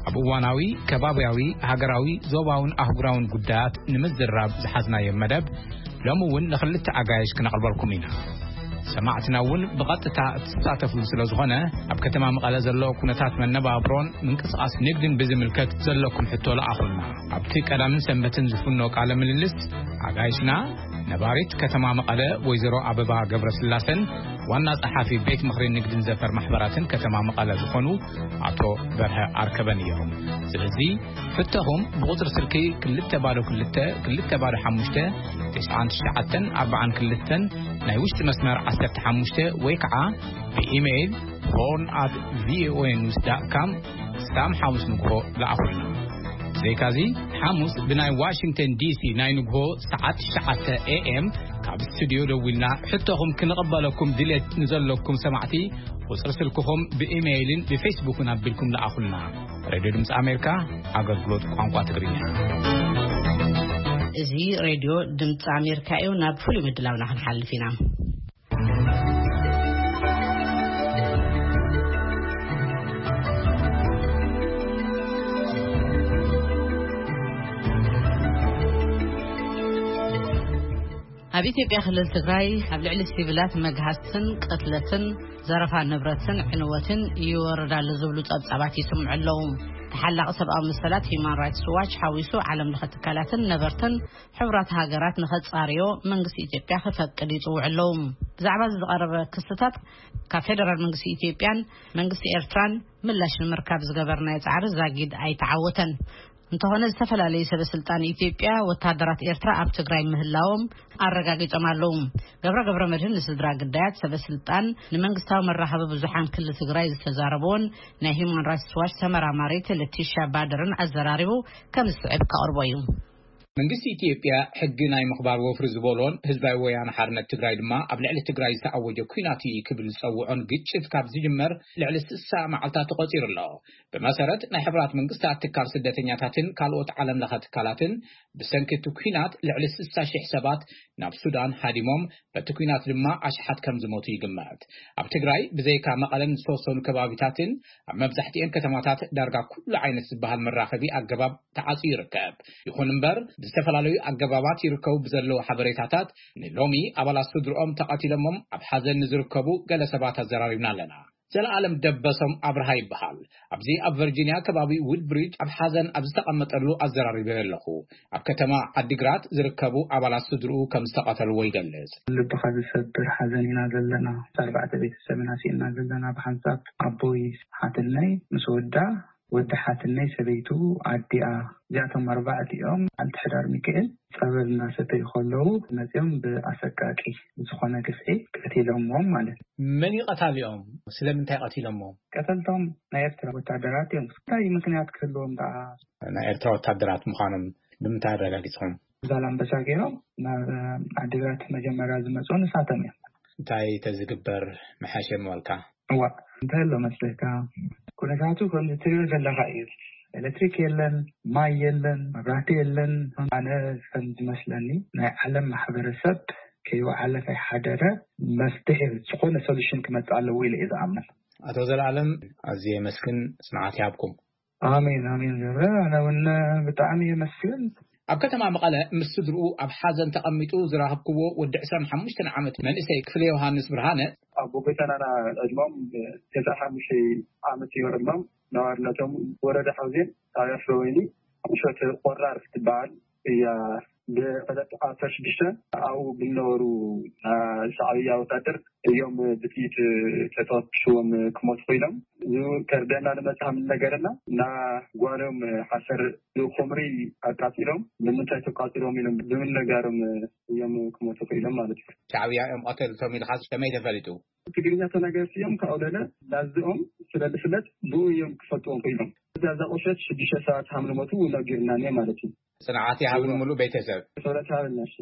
ኣብ እዋናዊ፣ ከባብያዊ፣ ሃገራዊ፣ ዞባውን ኣህጉራውን ጉዳያት ንምዝራብ ዝሓዝናዮ መደብ፣ ሎሚ እውን ንኽልተ ኣጋይሽ ክነቕርበልኩም ኢና። ሰማዕትና እውን ብቐጥታ እትሳተፍሉ ስለ ዝኾነ፣ ኣብ ከተማ መቐለ ዘሎ ኩነታት መነባብሮን ምንቅስቓስ ንግድን ብዝምልከት ዘለኩም ሕቶ ለኣኹልና። ኣብቲ ቀዳምን ሰንበትን ዝፍኖ ቃለ ምልልስ፣ ኣጋይሽና፣ ነባሪት ከተማ መቐለ ወይዘሮ ኣበባ ገብረስላሰን ዋና ጸሓፊ ቤት ምኽሪ ንግድን ዘፈር ማሕበራትን ከተማ መቐለ ዝኾኑ ኣቶ በርሀ ኣርከበን እዮም። ስለዚ፣ ሕቶኹም ብቁጽሪ ስልኪ ክልተ ባዶ ክልተ፣ ክልተ ባዶ ሓሙሽተ፣ ተስዓን ትሽዓተን ኣርባዓን ክልተን፣ ናይ ውሽጢ መስመር ዓሰርተ ሓሙሽተ፣ ወይ ከዓ ብኢሜይል ሆርን ኣት ቪኦኤ ኒውስ ዳት ካም ክሳብ ሓሙስ ንግሆ ለኣኹልና። ብዘይካዚ፣ ሓሙስ ብናይ ዋሽንግተን ዲሲ ናይ ንግሆ ሰዓት ትሽዓተ ኤ ኤም ካብ ስቱድዮ ደዊልና ሕቶኹም ክንቕበለኩም ድሌት ንዘለኩም ሰማዕቲ፣ ቁጽሪ ስልክኹም ብኢሜይልን ብፌስቡክን ኣቢልኩም ለኣኹልና። ሬድዮ ድምፂ ኣሜሪካ፣ ኣገልግሎት ቋንቋ ትግርኛ። እዚ ሬድዮ ድምፂ ኣሜሪካ እዩ። ናብ ፍሉይ ምድላውና ክንሓልፍ ኢና። ኣብ ኢትዮጵያ ክልል ትግራይ ኣብ ልዕሊ ሲቪላት መግሃስትን ቅትለትን ዘረፋ ንብረትን ዕንወትን ይወርድ ኣሎ ዝብሉ ጸብጻባት ይስምዑ ኣለዉ። ተሓላቒ ሰብኣዊ መሰላት ሂዩማን ራይትስ ዋች ሓዊሱ ዓለም ለኸ ትካላትን ነበርትን ሕቡራት ሃገራት ንኸጻርዮ መንግስቲ ኢትዮጵያ ክፈቅድ ይጽውዑ ኣለዉ። ብዛዕባ እዚ ዝቐረበ ክስታት ካብ ፌደራል መንግስቲ ኢትዮጵያን መንግስቲ ኤርትራን ምላሽ ንምርካብ ዝገበርናዮ ጻዕሪ ዛጊድ ኣይተዓወተን። እንተኾነ ዝተፈላለዩ ሰበ ስልጣን ኢትዮጵያ ወታደራት ኤርትራ ኣብ ትግራይ ምህላዎም ኣረጋጊጾም ኣለዉ። ገብረ ገብረ መድህን ንስድራ ግዳያት ሰበ ስልጣን ንመንግስታዊ መራኸቢ ብዙሓን ክልል ትግራይ ዝተዛረበውን ናይ ሂዩማን ራይትስ ዋች ተመራማሪት ለቲሻ ባደርን ኣዘራሪቡ ከም ዝስዕብ ከቕርቦ እዩ። መንግስቲ ኢትዮጵያ ሕጊ ናይ ምኽባር ወፍሪ ዝበሎን ህዝባዊ ወያነ ሓርነት ትግራይ ድማ ኣብ ልዕሊ ትግራይ ዝተኣወጀ ኲናት እዩ ክብል ዝጸውዖን ግጭት ካብ ዝጅመር ልዕሊ ስሳ መዓልታት ተቖጺሩ ኣሎ። ብመሰረት ናይ ሕቡራት መንግስታት ትካል ስደተኛታትን ካልኦት ዓለም ለኸ ትካላትን ብሰንኪ እቲ ኲናት ልዕሊ ስሳ ሺሕ ሰባት ናብ ሱዳን ሃዲሞም፣ በቲ ኲናት ድማ ኣሽሓት ከም ዝሞቱ ይግመት። ኣብ ትግራይ ብዘይካ መቐለን ዝተወሰኑ ከባቢታትን ኣብ መብዛሕትኤን ከተማታት ዳርጋ ኩሉ ዓይነት ዝበሃል መራኸቢ ኣገባብ ተዓጽዩ ይርከብ። ይኹን እምበር ብዝተፈላለዩ ኣገባባት ይርከቡ ብዘለዉ ሓበሬታታት ንሎሚ ኣባላት ስድርኦም ተቐቲሎሞም ኣብ ሓዘን ንዝርከቡ ገለ ሰባት ኣዘራሪብና ኣለና። ዘለኣለም ደበሶም ኣብርሃ ይበሃል። ኣብዚ ኣብ ቨርጂንያ ከባቢ ውድብሪጅ ኣብ ሓዘን ኣብ ዝተቐመጠሉ ኣዘራሪበዮ ኣለኹ። ኣብ ከተማ ዓዲግራት ዝርከቡ ኣባላት ስድርኡ ከም ዝተቐተልዎ ይገልጽ። ልብኻ ዝሰብር ሓዘን ኢና ዘለና። ኣርባዕተ ቤተሰብ ኢና ስኢንና ዘለና። ብሓንሳብ ኣቦይ ሓትነይ ምስ ወዳ፣ ወዲ ሓትነይ ሰበይቱ ኣዲኣ፣ እዚኣቶም ኣርባዕቲኦም ኣልቲ ሕዳር ሚካኤል ጸበል እናሰተዩ ከለዉ መጺኦም ብኣሰቃቂ ዝኾነ ግፍዒ ቀቲሎምዎም ማለት እዩ። መን እዩ ቀታሊኦም? ስለምንታይ ቀቲሎምዎም? ቀተልቶም ናይ ኤርትራ ወታደራት እዮም። እንታይ ምኽንያት ክህልዎም ደኣ? ናይ ኤርትራ ወታደራት ምዃኖም ንምንታይ ኣረጋጊጽኹም? ዛላምበሳ ገይሮም ናብ ዓዲግራት መጀመርያ ዝመጹ ንሳቶም እዮም። እንታይ ተዝግበር ምሓሸ ምበልካ? እዋ፣ እንታይ ኣሎ መስለካ? ኩነታቱ ከምዚ ትሪኦ ዘለኻ እዩ። ኤሌክትሪክ የለን፣ ማይ የለን፣ መብራህቲ የለን። ኣነ ከም ዝመስለኒ ናይ ዓለም ማሕበረሰብ ከይወዓለ ከይሓደረ መፍትሒ ዝኾነ ሶሉሽን ክመጽእ ኣለዎ ኢለ እየ ዝኣምን። ኣቶ ዘለኣለም፣ ኣዝየ የመስግን፣ ጽንዓት ይሃብኩም። ኣሜን፣ ኣሜን ገብረ፣ ኣነ እውን ብጣዕሚ የመስግን። ኣብ ከተማ መቐለ ምስ ስድርኡ ኣብ ሓዘን ተቐሚጡ ዝረኸብክዎ ወዲ ዕስራን ሓሙሽተን ዓመት መንእሰይ ክፍለ ዮሃንስ ብርሃነ፣ ኣቦ ጎይታናና ዕድሞም ተስዓን ሓሙሽተን ዓመት እዮም ዕድሞም። ነባርነቶም ወረዳ ሓውዜን፣ ጣብያ ፍረወይኒ፣ ቁሸት ቆራር ትበሃል እያ። ብዕለት ዓሰርተ ሽዱሽተ ኣብኡ ብዝነበሩ ሻዕብያ ወታደር እዮም ብጥይት ተተኩስዎም ክሞቱ ኮይኖም። እዚ ከርደና ንመጽሓ ምን ነገረና፣ እና ጓሎም ሓሰር ኹምሪ ኣቃጺሎም፣ ንምንታይ ተቃጺሎም ኢሎም ብምንጋሮም እዮም ክሞቱ ኮይኖም ማለት እዩ። ሻዕብያ እዮም ቀተልቶም ኢልካ ከመይ ተፈሊጡ? ትግርኛ ተናገርቲ እዮም፣ ካብኡ ለለ ላዝኦም ስለ ዝፍለጥ ብኡ እዮም ክፈልጥዎም ኮይኖም። እዛ፣ እዛ ቁሸት ሽዱሽተ ሰባት ከም ዝሞቱ እውን ነጊርና እኒኦ ማለት እዩ። ጽንዓት ይሃብን ምሉእ ቤተሰብ። ክብረት ይሃበልና፣ እሺ።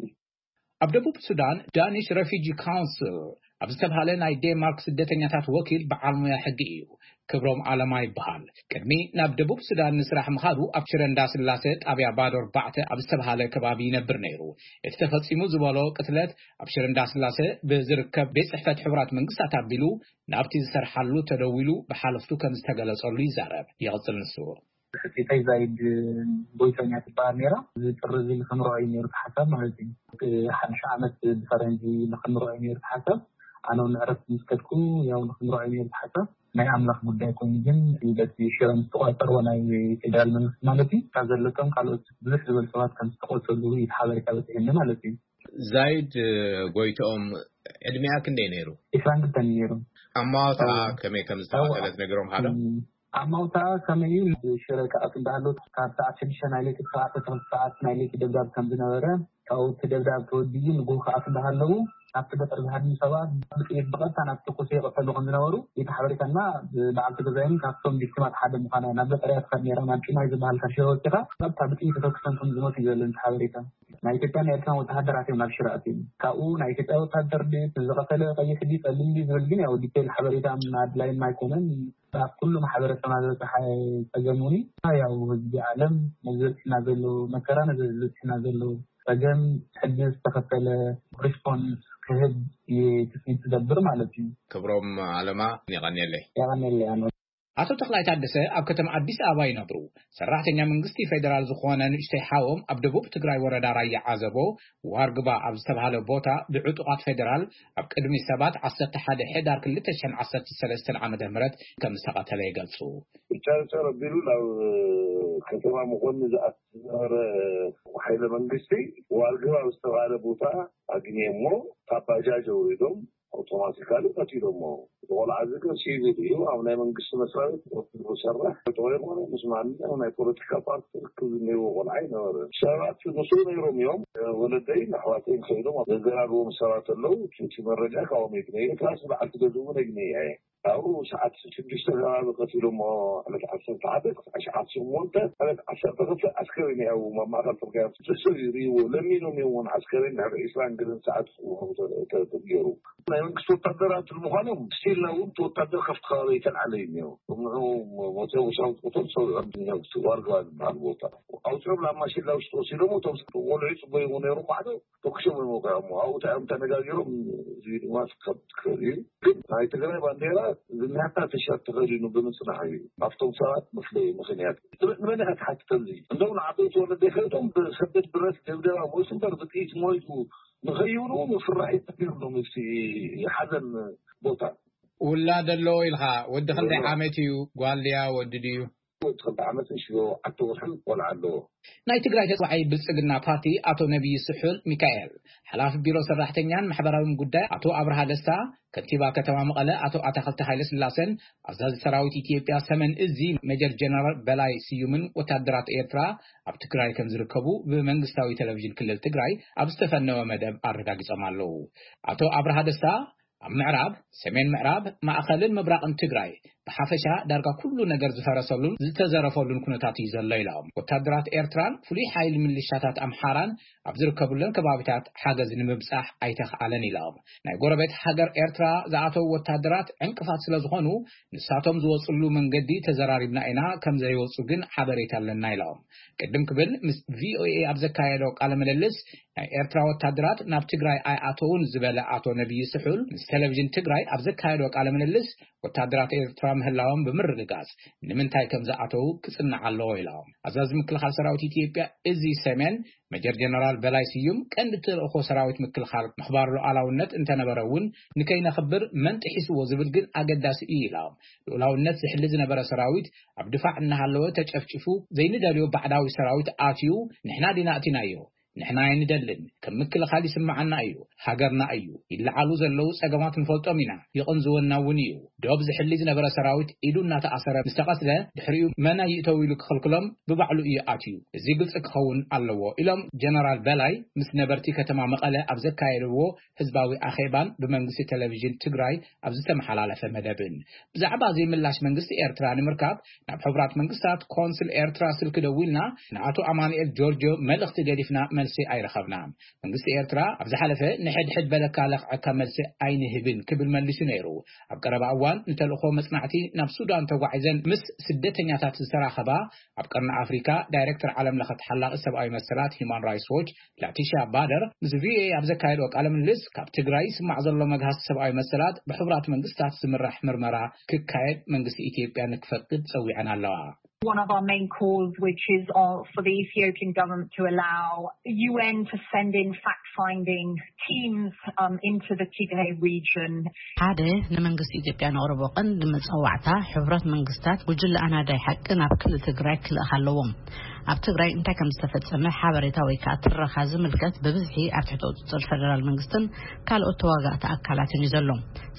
ኣብ ደቡብ ሱዳን ዳኒሽ ረፊጂ ካውንስል ኣብ ዝተብሃለ ናይ ዴንማርክ ስደተኛታት ወኪል በዓል ሞያ ሕጊ እዩ። ክብሮም ኣለማ ይበሃል። ቅድሚ ናብ ደቡብ ሱዳን ንስራሕ ምኻዱ ኣብ ሽረ እንዳስላሰ ጣብያ ባዶ ኣርባዕተ ኣብ ዝተብሃለ ከባቢ ይነብር ነይሩ። እቲ ተፈጺሙ ዝበሎ ቅትለት ኣብ ሽረ እንዳስላሰ ብዝርከብ ቤት ጽሕፈት ሕቡራት መንግስታት ኣቢሉ ናብቲ ዝሰርሓሉ ተደዊሉ ብሓለፍቱ ከም ዝተገለጸሉ ይዛረብ። ይቕጽል ንሱ። ሕጽይተይ ዛይድ ጎይቶም እያ ትበሃል ነይራ። እዚ ጥሪ እዚ ንክምርዖ እዩ ነይሩ እቲ ሓሳብ ማለት እዩ። እቲ ሓድሽ ዓመት ብፈረንጂ ንክምርዖ እዩ ነይሩ እቲ ሓሳብ። ኣነ እውን ዕረፍቲ ምስ ከድኩ ያው ንክምርዖ እዩ ነይሩ እቲ ሓሳብ። ናይ ኣምላኽ ጉዳይ ኮይኑ ግን በቲ ሽረ ምስ ተቋጸርዎ ናይ ፌደራል መንግስቲ ማለት እዩ፣ እታ ዘለቶም ካልኦት ብዙሕ ዝበሉ ሰባት ከም ዝተቆሰሉ እዩ እቲ ሓበሬታ በፂሑኒ ማለት እዩ። ዛይድ ጎይትኦም ዕድሚኣ ክንደይ ነይሩ? ዒስራን ክልተን ነይሩ። ኣማውታ እዋ። ከመይ ከም ዝተቐተለት እዋ። ነጊሮም ሃሎ? እም፣ ኣማውታ ከመይ እዩ? ሽረ ክኣቱ እንዳሃለዉ ካብ ሰዓት ሽዱሽተ ናይ ለይቲ ክሳዕ ዓሰርተ ክልተ ሰዓት ናይ ለይቲ ደብዳብ ከም ዝነበረ ካብኡ እቲ ደብዳብ ተወዲኡ ንግሆ ክኣትዉ እንዳሃለዉ ኣብቲ ገጠር ዝሃድሙ ሰባት ብጥይት ብቐጥታ ናብ ተኩሲ ይቕተሉ ከም ዝነበሩ እቲ ሓበሬታና ብበዓልቲ ገዛይን ካብቶም ቪክቲማት ሓደ ምዃና ናብ ገጠር እያ ትኸድ ነይራ። ናብ ጭማይ ዝበሃል ካብ ሽረ ወፂኻ ቀጥታ ብጥይት ተተኩሶም ከም ዝሞቱ እዩ ዘሎ እቲ ሓበሬታ። ናይ ኢትዮጵያን ናይ ኤርትራን ወተሃደራት እዮም ናብ ሽረ ኣትዮም። ካብኡ ናይ ኢትዮጵያ ወተሃደር ድዩ ዝቐተለ ቀይሕ ድዩ ጸሊም ድዩ ዝብል ግን ያው ዲቴይል ሓበሬታ ኣድላይም ኣይኮነን። ኣብ ኩሉ ማሕበረሰብና ዝበፅሐ ፀገም እውን እዩ። ያው ህዝቢ ዓለም ነዚ ዝበፅሕና ዘሎ መከራ፣ ነዚ ዝበፅሕና ዘሎ ፀገም ሕጂ ዝተኸተለ ሪስፖንስ ክህብ እዩ ትፅቢት ዝገብር ማለት እዩ። ክብሮም ኣለማ፣ የቐንየለይ። የቐንየለይ ኣነ። ኣቶ ተኽላይ ታደሰ ኣብ ከተማ ኣዲስ ኣበባ ይነብሩ። ሰራሕተኛ መንግስቲ ፌዴራል ዝኾነ ንእሽተይ ሓዎም ኣብ ደቡብ ትግራይ ወረዳ ራያ ዓዘቦ ዋርግባ ኣብ ዝተባሃለ ቦታ ብዕጡቓት ፌዴራል ኣብ ቅድሚ ሰባት ዓሰርተ ሓደ ሕዳር ክልተ ሽሕን ዓሰርተ ሰለስተን ዓመተ ምህረት ከም ዝተቐተለ ይገልጹ። ጨርጨር ኣቢሉ ናብ ከተማ መኾኒ ዝኣቱ ዝነበረ ሓይለ መንግስቲ ዋርግባ ኣብ ዝተባሃለ ቦታ ኣግኒየሞ ካብ ባጃጅ ኣውሪዶም ኣውቶማቲካሊ ቀቲሎሞ። እቲ ቆልዓ እዚ ግን ሲቪል እዩ። ኣብ ናይ መንግስቲ መስሪያ ቤት ወኪሉ ዝሰርሕ ጥዑይ ኮነ ምስ ማንኛውም ናይ ፖለቲካ ፓርቲ ርክብ ዝኒህዎ ቆልዓ ኣይነበረን። ሰባት ምስኡ ነይሮም እዮም። ወለደይን ኣሕዋተይን ከይዶም ዘዘራርቦም ሰባት ኣለዉ። እቲ መረጃ ካብኦም እዩ። ትራስ በዓልቲ ገዝኡ እውን ኣግኒየ እየ። ካብኡ ሰዓት ሽዱሽተ ከባቢ ቀቲሎሞ። ዕለት ዓሰርተ ሓደ ክሳዕ ሸዓት ሸሞንተ ዕለት ዓሰርተ ክልተ ኣስከሬን እዩ ኣብ ማእኸል ፅርግያ። ሰብ እዩ ርእይዎ። ለሚኖም እዮም እውን ኣስከሬን ድሕሪ ዒስራን ገለን ሰዓት ተገይሩ። ናይ መንግስቲ ወታደራት ንምዃኖም ስቲልና እውን እቲ ወታደር ካብቲ ከባቢ ኣይተልዓለ እዩ እኒኦ። ንዑ ሞተ ሰራዊት ቁጥር ሰው ዋርገባ ዝበሃል ቦታ ኣውፅኦም ናብ ማሽላ ውሽጢ ወሲዶም። እቶም ቆልዑ ይፅበዩ ነይሮም ባዕዶ ተኩሶም እዮም ወቂዖሞ። ኣብኡ እንታይ እዮም ተነጋጊሮም፣ እዚ ድማ ክከብድ ክኽእል እዩ። ግን ናይ ትግራይ ባንዴራ ዝናታ ቲሸርት ተኸዲኑ ብምጽናሕ እዩ ኣብቶም ሰባት መፍለዩ ምኽንያት። ንመን ኢኻ ትሓቲ ከምዚ? እንደው ንዓበይቲ ወለደይ ከይዶም ብሰደድ ብረት ደብደባ ሞይቱ እምበር ብጥይት ሞይቱ ንኸይብሉ ምፍራሕ እዩ ተቢሉሎም እቲ ሓዘን ቦታ። ውላድ ኣለዎ ኢልኻ፣ ወዲ ክንደይ ዓመት እዩ? ጓል ድያ ወዲ ድዩ? ወዲ ክልተ ዓመትን ሽዓተ ወርሕን ቆልዓ ኣለዎ። ናይ ትግራይ ተጽዋዓይ ብልጽግና ፓርቲ ኣቶ ነቢይ ስሑል ሚካኤል፣ ሓላፊ ቢሮ ሰራሕተኛን ማሕበራዊን ጉዳይ ኣቶ ኣብርሃ ደስታ፣ ከንቲባ ከተማ መቐለ ኣቶ ኣታኽልቲ ሃይለ ስላሰን ኣዛዚ ሰራዊት ኢትዮጵያ ሰሜን እዚ ሜጀር ጀነራል በላይ ስዩምን ወታደራት ኤርትራ ኣብ ትግራይ ከም ዝርከቡ ብመንግስታዊ ቴሌቪዥን ክልል ትግራይ ኣብ ዝተፈነወ መደብ ኣረጋጊጾም ኣለዉ። ኣቶ ኣብርሃ ደስታ ኣብ ምዕራብ፣ ሰሜን ምዕራብ፣ ማእኸልን ምብራቕን ትግራይ ብሓፈሻ ዳርጋ ኩሉ ነገር ዝፈረሰሉን ዝተዘረፈሉን ኩነታት እዩ ዘሎ ኢሎም። ወታደራት ኤርትራን ፍሉይ ሓይሊ ምልሻታት ኣምሓራን ኣብ ዝርከቡለን ከባቢታት ሓገዝ ንምብጻሕ ኣይተኽኣለን ኢሎም። ናይ ጎረቤት ሃገር ኤርትራ ዝኣተዉ ወታደራት ዕንቅፋት ስለ ዝኾኑ ንሳቶም ዝወጽሉ መንገዲ ተዘራሪብና ኢና፣ ከም ዘይወጹ ግን ሓበሬታ ኣለና ኢሎም። ቅድም ክብል ምስ ቪኦኤ ኣብ ዘካየዶ ቃለ ምልልስ ናይ ኤርትራ ወታደራት ናብ ትግራይ ኣይኣተውን ዝበለ ኣቶ ነቢይ ስሑል ምስ ቴሌቪዥን ትግራይ ኣብ ዘካየዶ ቃለ ምልልስ ወታደራት ኤርትራ ምህላዎም ብምርግጋጽ ንምንታይ ከም ዝኣተዉ ክጽናዕ ኣለዎ ኢሎም። ኣዛዚ ምክልኻል ሰራዊት ኢትዮጵያ እዚ ሰሜን ሜጀር ጀነራል በላይ ስዩም ቀንዲ ተልእኾ ሰራዊት ምክልኻል ምኽባር ሉዓላውነት እንተነበረ እውን ንከይነኽብር መን ጥሒስዎ ዝብል ግን ኣገዳሲ እዩ ኢሎም። ልኡላውነት ዝሕሊ ዝነበረ ሰራዊት ኣብ ድፋዕ እናሃለወ ተጨፍጭፉ ዘይንደልዮ ባዕዳዊ ሰራዊት ኣትዩ ንሕና ዲና ኣእቲናዮ ንሕና ኣይንደልን። ከም ምክልኻል ይስምዓና እዩ። ሃገርና እዩ። ይለዓሉ ዘለዉ ጸገማት ንፈልጦም ኢና። ይቕንዝወና እውን እዩ። ዶብ ዝሕሊ ዝነበረ ሰራዊት ኢዱ እናተኣሰረ ምስ ተቐትለ ድሕሪኡ መን ኣይእተው ኢሉ ክኽልክሎም ብባዕሉ እዩ ኣትዩ። እዚ ግልጺ ክኸውን ኣለዎ ኢሎም ጀነራል በላይ ምስ ነበርቲ ከተማ መቐለ ኣብ ዘካየድዎ ህዝባዊ ኣኼባን ብመንግስቲ ቴሌቪዥን ትግራይ ኣብ ዝተመሓላለፈ መደብን። ብዛዕባ እዚ ምላሽ መንግስቲ ኤርትራ ንምርካብ ናብ ሕቡራት መንግስታት ኮንስል ኤርትራ ስልኪ ደዊልና ንኣቶ ኣማኑኤል ጆርጆ መልእኽቲ ገዲፍና መልሲ ኣይረኸብናን። መንግስቲ ኤርትራ ኣብ ዝሓለፈ ንሕድሕድ በለካ ለኽዐካ መልሲ ኣይንህብን ክብል መሊሱ ነይሩ። ኣብ ቀረባ እዋን ንተልእኾ መጽናዕቲ ናብ ሱዳን ተጓዒዘን ምስ ስደተኛታት ዝተራኸባ ኣብ ቀርኒ ኣፍሪካ ዳይሬክተር ዓለም ለኸ ተሓላቒ ሰብኣዊ መሰላት ሂማን ራይትስ ዎች ላቲሻ ባደር ምስ ቪኦኤ ኣብ ዘካየድኦ ቃለ ምልልስ ካብ ትግራይ ይስማዕ ዘሎ መግሃስ ሰብኣዊ መሰላት ብሕቡራት መንግስታት ዝምራሕ ምርመራ ክካየድ መንግስቲ ኢትዮጵያ ንክፈቅድ ጸዊዐን ኣለዋ። One of our main calls, which is uh, for the Ethiopian government to allow U N to send in fact-finding teams um, into the Tigray region. ሓደ ንመንግስቲ ኢትዮጵያ ነቕርቦ ቀንዲ መጸዋዕታ፣ ሕቡራት መንግስታት ጉጅለ ኣናዳይ ሓቂ ናብ ክልል ትግራይ ክልእኽ ኣለዎም። ኣብ ትግራይ እንታይ ከም ዝተፈጸመ ሓበሬታ ወይ ከዓ ትረኻ ዝምልከት ብብዝሒ ኣብ ትሕቲ ቁፅፅር ፌደራል መንግስትን ካልኦት ተዋጋእቲ ኣካላትን እዩ ዘሎ።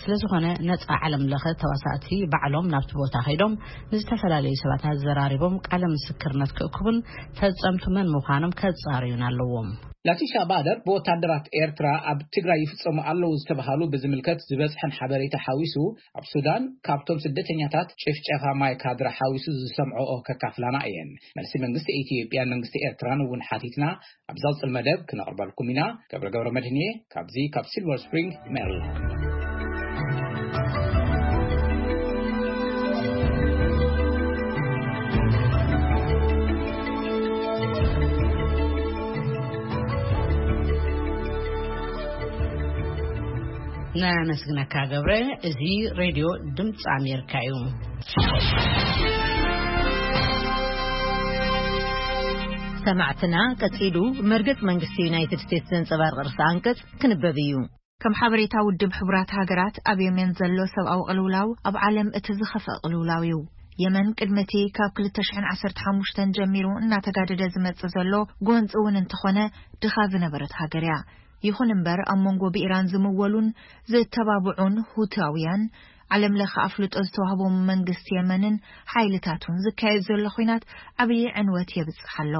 ስለ ዝኾነ ነፃ ዓለም ለኸ ተዋሳእቲ ባዕሎም ናብቲ ቦታ ከይዶም ንዝተፈላለዩ ሰባት ኣዘራሪቦም ቃለ ምስክርነት ክእክቡን ፈፀምቱ መን ምዃኖም ከፃርዩን ኣለዎም። ላቲሻ ባደር ብወታደራት ኤርትራ ኣብ ትግራይ ይፍጸሙ ኣለዉ ዝተባሃሉ ብዝምልከት ዝበጽሐን ሓበሬታ ሓዊሱ፣ ኣብ ሱዳን ካብቶም ስደተኛታት ጭፍጨፋ ማይ ካድራ ሓዊሱ ዝሰምዐኦ ከካፍላና እየን። መልሲ መንግስቲ ኢትዮጵያን መንግስቲ ኤርትራን እውን ሓቲትና ኣብ ዝቕጽል መደብ ክነቕርበልኩም ኢና። ገብረ ገብረ መድህን እየ ካብዚ ካብ ሲልቨር ስፕሪንግ ሜሪላንድ። ነመስግነካ ገብረ። እዚ ሬድዮ ድምፂ ኣሜሪካ እዩ። ሰማዕትና፣ ቀጺሉ መርገጽ መንግስቲ ዩናይትድ ስቴትስ ዘንጸባርቕ ርእሰ ኣንቀጽ ክንበብ እዩ። ከም ሓበሬታ ውድብ ሕቡራት ሃገራት፣ ኣብ የመን ዘሎ ሰብኣዊ ቅልውላው ኣብ ዓለም እቲ ዝኸፍአ ቅልውላው እዩ። የመን ቅድሚ እቲ ካብ ክልተ ሽሕን ዓሰርተ ሓሙሽተን ጀሚሩ እናተጋደደ ዝመጽእ ዘሎ ጎንጺ እውን እንተኾነ፣ ድኻ ዝነበረት ሃገር እያ። ይኹን እምበር፣ ኣብ መንጎ ብኢራን ዝምወሉን ዝተባብዑን ሁታውያን፣ ዓለም ለኸ ኣፍልጦ ዝተዋህቦም መንግስቲ የመንን ሓይልታቱን ዝካየድ ዘሎ ኹናት ዓብዪ ዕንወት የብጽሕ ኣሎ።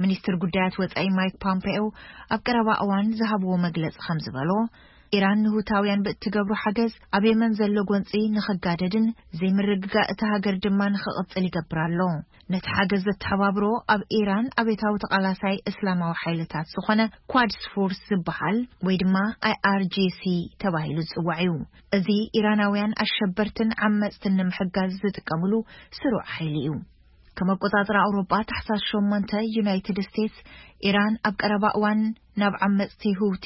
ሚኒስትር ጉዳያት ወጻኢ ማይክ ፖምፔኦ ኣብ ቀረባ እዋን ዝሃብዎ መግለጺ ከም ዝበሎ፣ ኢራን ንሁታውያን ብእትገብሮ ሓገዝ ኣብ የመን ዘሎ ጎንጺ ንኽጋደድን ዘይምርግጋእ እታ ሃገር ድማ ንኽቕጽል ይገብር ኣሎ። ነቲ ሓገዝ ዘተሓባብሮ ኣብ ኢራን ኣቤታዊ ተቓላሳይ እስላማዊ ሓይልታት ዝኾነ ኳድስ ፎርስ ዝበሃል ወይ ድማ ኣይኣርጂሲ ተባሂሉ ዝጽዋዕ እዩ። እዚ ኢራናውያን ኣሸበርትን ዓመጽትን ንምሕጋዝ ዝጥቀምሉ ስሩዕ ሓይሊ እዩ። ከም ኣቆጻጽራ ኣውሮጳ፣ ታሕሳስ ሸሞንተ፣ ዩናይትድ ስቴትስ ኢራን ኣብ ቀረባ እዋን ናብ ዓመጽቲ ሁቲ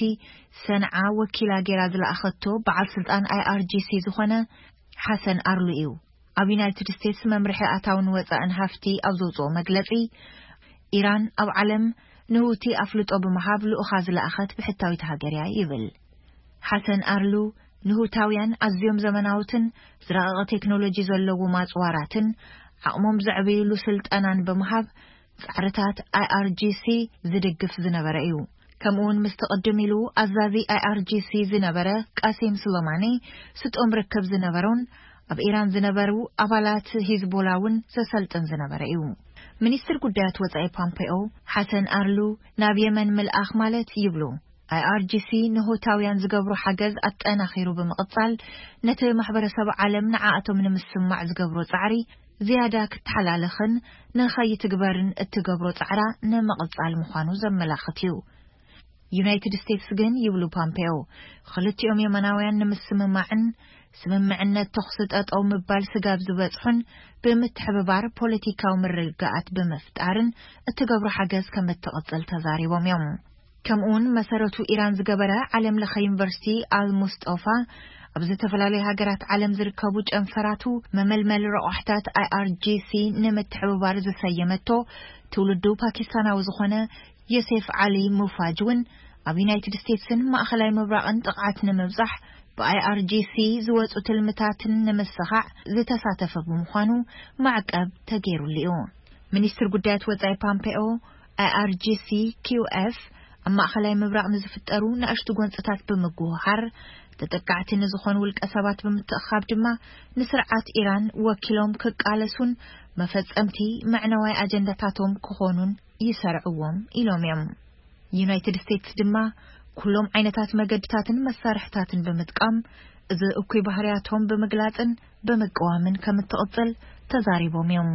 ሰንዓ ወኪላ ጌራ ዝለኣኸቶ በዓል ስልጣን ኣይኣርጂሲ ዝኾነ ሓሰን ኣርሉ እዩ። ኣብ ዩናይትድ ስቴትስ መምርሒ ኣታውን ወጻእን ሃፍቲ ኣብ ዘውጽኦ መግለጺ፣ ኢራን ኣብ ዓለም ንሁቲ ኣፍልጦ ብምሃብ ልኡኻ ዝለኣኸት ብሕታዊት ሃገር እያ ይብል። ሓሰን ኣርሉ ንሁታውያን ኣዝዮም ዘመናውትን ዝረቐቐ ቴክኖሎጂ ዘለዎም ኣጽዋራትን ዓቕሞም ዘዕብይሉ ስልጠናን ብምሃብ ጻዕርታት ኣይኣርጂሲ ዝድግፍ ዝነበረ እዩ። ከምኡውን ምስቲ ቅድም ኢሉ ኣዛዚ ኣይኣርጂሲ ዝነበረ ቃሲም ሱለማኒ ስጦም ርክብ ዝነበሮን ኣብ ኢራን ዝነበሩ ኣባላት ሂዝቦላ እውን ዘሰልጥን ዝነበረ እዩ። ሚኒስትር ጉዳያት ወጻኢ ፖምፔኦ፣ ሓሰን ኣርሉ ናብ የመን ምልኣኽ ማለት ይብሉ፣ ኣይኣርጂሲ ንሆታውያን ዝገብሮ ሓገዝ ኣጠናኺሩ ብምቕጻል፣ ነቲ ማሕበረሰብ ዓለም ንዓኣቶም ንምስማዕ ዝገብሮ ጻዕሪ ዝያዳ ክተሓላለኽን ንኸይትግበርን እትገብሮ ጻዕራ ንምቕጻል ምዃኑ ዘመላኽት እዩ። ዩናይትድ ስቴትስ ግን፣ ይብሉ ፖምፔዮ፣ ክልቲኦም የመናውያን ንምስምማዕን ስምምዕነት ተኹሲ ጠጠው ምባል ስጋብ ዝበጽሑን ብምትሕብባር ፖለቲካዊ ምርግጋኣት ብምፍጣርን እትገብሮ ሓገዝ ከም እትቕጽል ተዛሪቦም እዮም። ከምኡውን መሰረቱ ኢራን ዝገበረ ዓለም ለኸ ዩኒቨርሲቲ ኣል ሙስጦፋ፣ ኣብ ዝተፈላለዩ ሃገራት ዓለም ዝርከቡ ጨንፈራቱ መመልመሊ ረቋሕታት ኣይኣርጂሲ ንምትሕብባር ዝሰየመቶ ትውልዱ ፓኪስታናዊ ዝኾነ ዮሴፍ ዓሊ ሙፋጅ እውን ኣብ ዩናይትድ ስቴትስን ማእኸላይ ምብራቕን ጥቕዓት ንምብጻሕ ብኣይኣርጂሲ ዝወጹ ትልምታትን ንምስኻዕ ዝተሳተፈ ብምዃኑ ማዕቀብ ተገይሩሉ እዩ። ሚኒስትር ጉዳያት ወጻኢ ፓምፔኦ፣ ኣይኣርጂሲ ኪውኤፍ ኣብ ማእኸላይ ምብራቕ ንዝፍጠሩ ንኣሽቱ ጎንጽታት ብምጉህሃር፣ ተጠቃዕቲ ንዝኾኑ ውልቀ ሰባት ብምትእኻብ ድማ ንስርዓት ኢራን ወኪሎም ክቃለሱን መፈጸምቲ መዕነዋይ ኣጀንዳታቶም ክኾኑን ይሰርዕዎም ኢሎም እዮም። ዩናይትድ ስቴትስ ድማ ኩሎም ዓይነታት መገድታትን መሳርሕታትን ብምጥቃም እዚ እኩይ ባህርያቶም ብምግላጽን ብምቅዋምን ከም እትቕጽል ተዛሪቦም እዮም።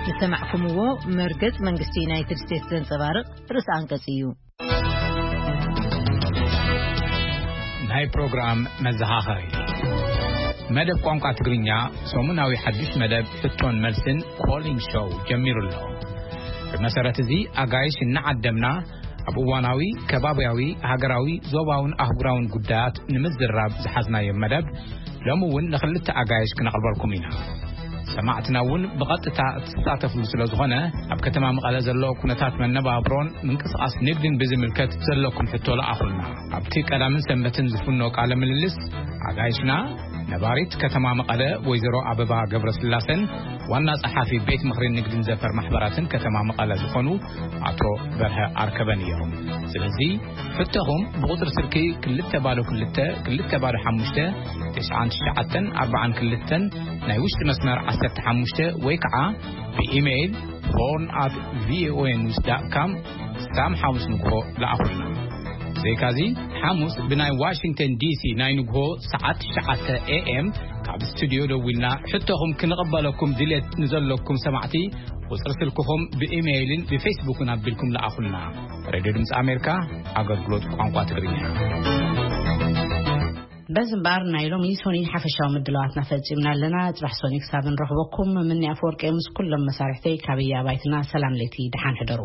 ዝሰማዕኩምዎ መርገጽ መንግስቲ ዩናይትድ ስቴትስ ዘንጸባርቕ ርእሰ ኣንቀጽ እዩ። ናይ ፕሮግራም መዘኻኸሪ። መደብ ቋንቋ ትግርኛ ሰሙናዊ ሓድሽ መደብ ሕቶን መልስን ኮሊን ሾው ጀሚሩ ኣሎ። ብመሰረት እዚ ኣጋይሽ እናዓደምና ኣብ እዋናዊ፣ ከባብያዊ፣ ሃገራዊ፣ ዞባውን ኣህጉራውን ጉዳያት ንምዝራብ ዝሓዝናዮ መደብ ሎሚ እውን ንኽልተ ኣጋይሽ ክነቕርበልኩም ኢና። ሰማዕትና እውን ብቐጥታ እትሳተፍሉ ስለ ዝኾነ፣ ኣብ ከተማ መቐለ ዘሎ ኩነታት መነባብሮን ምንቅስቓስ ንግድን ብዝምልከት ዘለኩም ሕቶ ለኣኹልና። ኣብቲ ቀዳምን ሰንበትን ዝፍኖ ቃለ ምልልስ ኣጋይሽና ነባሪት ከተማ መቐለ ወይዘሮ ኣበባ ገብረስላሰን ዋና ጸሓፊ ቤት ምኽሪ ንግድን ዘፈር ማሕበራትን ከተማ መቐለ ዝኾኑ ኣቶ በርሀ ኣርከበን እዮም። ስለዚ ሕቶኹም ብቁጽሪ ስልኪ ክልተ ባዶ ክልተ ክልተ ባዶ ሓሙሽተ ትሽዓን ትሽዓተን ኣርባዓን ክልተን ናይ ውሽጢ መስመር ዓሰርተ ሓሙሽተ ወይ ከዓ ብኢሜይል ሆርን ኣት ቪኦኤ ኒውስ ዳት ካም ሳም ሓሙስ ንግሆ ለኣኹልና። ብዘይካዚ ሓሙስ ብናይ ዋሽንግተን ዲሲ ናይ ንግሆ ሰዓት ትሽዓተ ኤ ኤም ካብ ስቱዲዮ ደዊልና ሕቶኹም ክንቕበለኩም ድሌት ንዘለኩም ሰማዕቲ ቁጽሪ ስልክኹም ብኢሜይልን ብፌስቡክን ኣቢልኩም ለኣኹልና። ሬድዮ ድምፂ ኣሜሪካ፣ ኣገልግሎት ቋንቋ ትግርኛ። በዚ እምበኣር ናይ ሎሚ ሶኒ ሓፈሻዊ ምድላዋትና ፈጺምና ኣለና። ጽባሕ ሶኒ ክሳብ ንረኽበኩም፣ ምኒ ኣፈወርቂ ምስ ኩሎም መሳርሕተይ ካብ ኣባይትና ሰላም ለይቲ፣ ደሓን ሕደሩ።